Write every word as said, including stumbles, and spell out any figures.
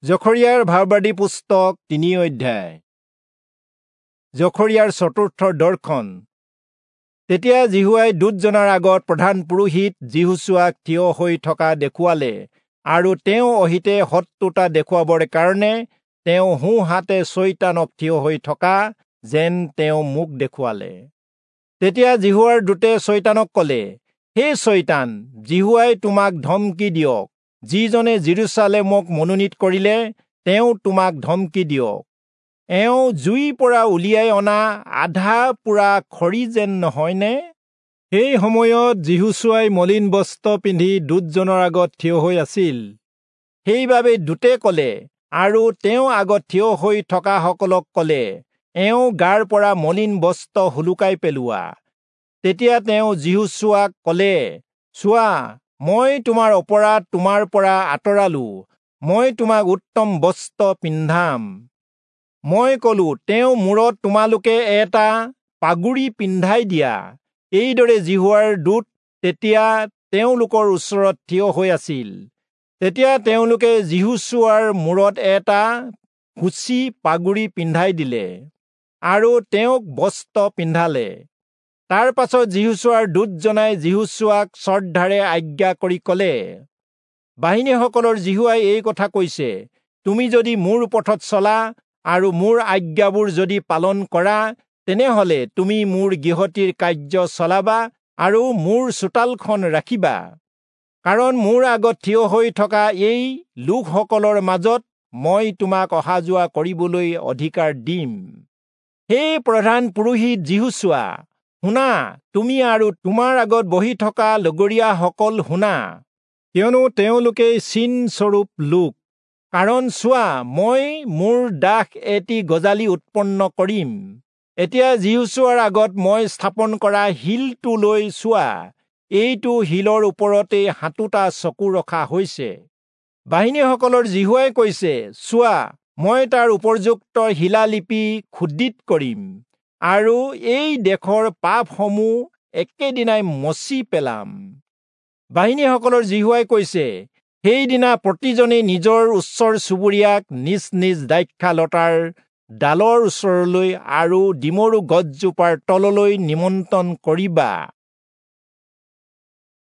জখৰিয়াৰ ভাববাদী পুস্তক তিনি অধ্যায়। জখৰিয়াৰ চতুৰ্থ দৰ্শন। তেতিয়া যিহোৱাই দূতজনাৰ আগত প্ৰধান পুৰোহিত যিহোচূৱাক থিয় হৈ থকা দেখুৱালে আৰু তেওঁ অহিতে শত্ৰুতা দেখুৱাবৰ কাৰণে তেওঁ সোঁহাতে চয়তানক থিয় হৈ থকা যেন তেওঁ মোক দেখুৱালে। তেতিয়া যিহোৱাৰ দূতে চয়তানক কলে, হে চয়তান, যিহোৱাই তোমাক ধমকি দিয়ক, যিজনে যিৰূচালেমক মনোনীত কৰিলে তেওঁ তোমাক ধমকি দিয়ক। এওঁ জুইৰ পৰা উলিয়াই অনা আধা পোৰা খৰি যেন নহয়নে? সেই সময়ত যিহোচূৱাই মলিন বস্ত্ৰ পিন্ধি দূতজনৰ আগত থিয় হৈ আছিল। সেইবাবে দূতে কলে আৰু তেওঁ আগত থিয় হৈ থকাসকলক কলে, এওঁ গাৰ পৰা মলিন বস্ত্ৰ সোলোকাই পেলোৱা। তেতিয়া তেওঁ যিহোচূৱাক কলে, চোৱা, মই তোমাৰ অপৰাধ তোমাৰ পৰা আঁতৰালো, মই তোমাক উত্তম বস্ত্ৰ পিন্ধাম। মই কলো, তেওঁ মূৰত তোমালোকে এটা পাগুৰি পিন্ধাই দিয়া। এইদৰে যিহোৱাৰ দূত তেতিয়া তেওঁলোকৰ ওচৰত থিয় হৈ আছিল। তেতিয়া তেওঁলোকে যিহোচূৱাৰ মূৰত এটা সূচী পাগুৰি পিন্ধাই দিলে আৰু তেওঁক বস্ত্ৰ পিন্ধালে। তাৰ পাছত যিহোচূৱাৰ দূতজনাই যিহোচূৱাক শ্ৰদ্ধাৰে আজ্ঞা কৰি কলে, বাহিনীসকলৰ যিহোৱাই এই কথা কৈছে, তুমি যদি মোৰ পথত চলা আৰু মোৰ আজ্ঞাবোৰ যদি পালন কৰা, তেনেহলে তুমি মোৰ গৃহটিৰ কাৰ্য চলাবা আৰু মোৰ চোতালখন ৰাখিবা। কাৰণ মোৰ আগত থিয় হৈ থকা এই লোকসকলৰ মাজত মই তোমাক অহা যোৱা কৰিবলৈ অধিকাৰ দিম। হে প্ৰধান পুৰোহিত যিহোচূৱা, শুনা, তুমি আৰু তোমাৰ আগত বহি থকা লগৰীয়াসকল শুনা, কিয়নো তেওঁলোকে চিনস্বৰূপ লোক। কাৰণ চোৱা, মই মোৰ দাস এটি গজালি উৎপন্ন কৰিম। এতিয়া যিহোচূৱাৰ আগত মই স্থাপন কৰা শিলটোলৈ চোৱা, এইটো শিলৰ ওপৰতেই সাতোটা চকু ৰখা হৈছে। বাহিনীসকলৰ যিহোৱাই কৈছে, চোৱা, মই তাৰ উপযুক্ত শিলালিপি খোদিত কৰিম আৰু এই দেশৰ পাপসমূহ একেদিনাই মচি পেলাম। বাহিনীসকলৰ যিহোৱাই কৈছে, সেইদিনা প্ৰতিজনে নিজৰ ওচৰ চুবুৰীয়াক নিজ নিজ দ্ৰাক্ষালতাৰ ডালৰ ওচৰলৈ আৰু ডিমৰু গছজোপাৰ তললৈ নিমন্ত্ৰণ কৰিবা।